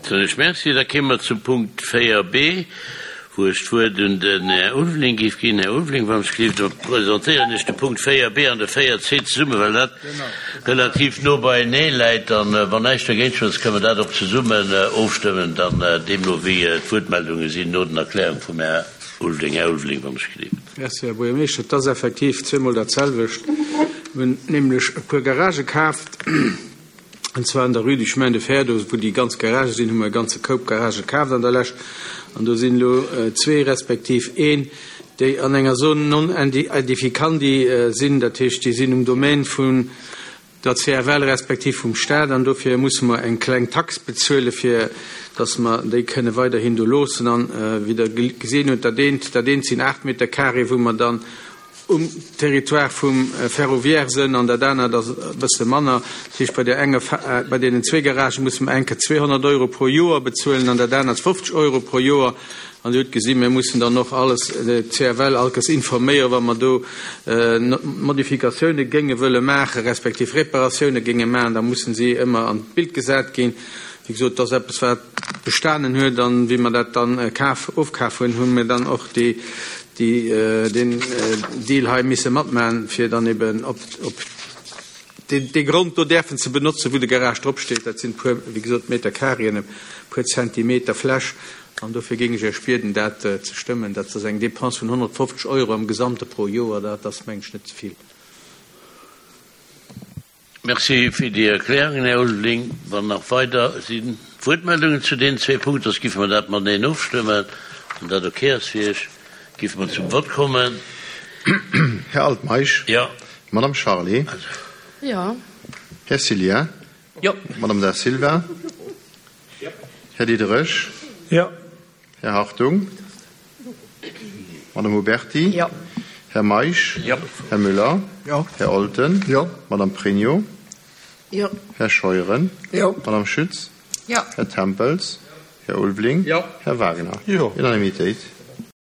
Soen ech Merci. Da kéime mer zum Punkt 4b, wou ech d'Wuert un den Här Ulveling géif ginn. Här Ulveling, wann ech gleeft, da presentéieren ech de Punkt 4b an de 4c zesummen, well dat relativ no beienee läit. An wann näischt dergéint schwätzt, kënnen mer dat och zesummen ofstëmmen, dann deemno wéi d'Wuertmeldunge sinn no den Erklärung vum Här Ulveling. Här Ulveling, wann ech gleeft. Merci, Här Buergermeeschter. Et ass effektiv zweemol dat selwecht. Mir hunn nämlech e puer Garagë kaaft. An zwar an der Rue du Chemin de Fer, do wou déi ganz Garagë sinn, hu mer e ganze Koup Garagë kaaft an der Lescht. An do sinn elo zwee respektiv een, déi an enger Zone non aedificandi sinn, dat heescht, déi sinn um Domaine vun der CFL respektiv vum Stat. An dofir musse mer eng kleng Tax bezuelen, fir datt mer déi kënne weiderhin do loossen. An, wéi Der gesinn hutt, dat eent, dat eent sinn 8 Meter carré, wou mer dann um Territoire vum Ferroviaire sënn an dat anert ass e bësse manner. Dat heescht, bei där enger, bei deenen zwee Garagë musse mer eng Kéier 200 Euro pro Joer bezuelen an dat anert 50 Euro pro Joer. An Dir hutt gesinn, mir mussen dann och alles, d'CFL allkes informéieren, wa mer do Modifikatioune géinge wëlle maachen, respektiv Reparatioune géinge maachen, da mussen si ëmmer an d'Bild gesat ginn. Wéi gesot, dat ass eppes, wat bestanen huet. An wéi mer dat dann kaf, ofkaf hunn, hu mir dann och déi, déi, deen Deal hei misse matmachen, fir dann eben op, op deen, dee Grond do däerfen ze benotzen, wou de Garage drop steet. Dat sinn e puer, wéi gesot, Meter Carréen, e puer Zentimeter Fläch. An dofir géing ech Iech bieden, dat ze stëmmen. Dat ass eng Dépense vun 150 Euro am Gesamte pro Joer. Dat ass, meng ech, net ze vill. Merci fir déi Erklärungen, Här Ulveling. Wann nach weider si Wuertmeldungen zu deenen zwee Punkten, soss giffe mer dat mateneen ofstëmmen. Wann dat ok ass fir Iech, giffe mer zum Vott kommen. Här Altmeisch. Jo. Madame Charlé. Jo. Här Cillien. Jo. Madame Da Silva. Jo. Här Diderich. Jo. Här Hartung. Madame Huberti. Jo. Här Meisch. Jo. Här Müller. Jo. Här Olten. Jo. Madame Pregno. Jo. Här Scheuren. Jo. Madame Schütz. Jo. Här Tempels. Här Ulveling. Jo. Här Wagner. Jo. Unanimitéit.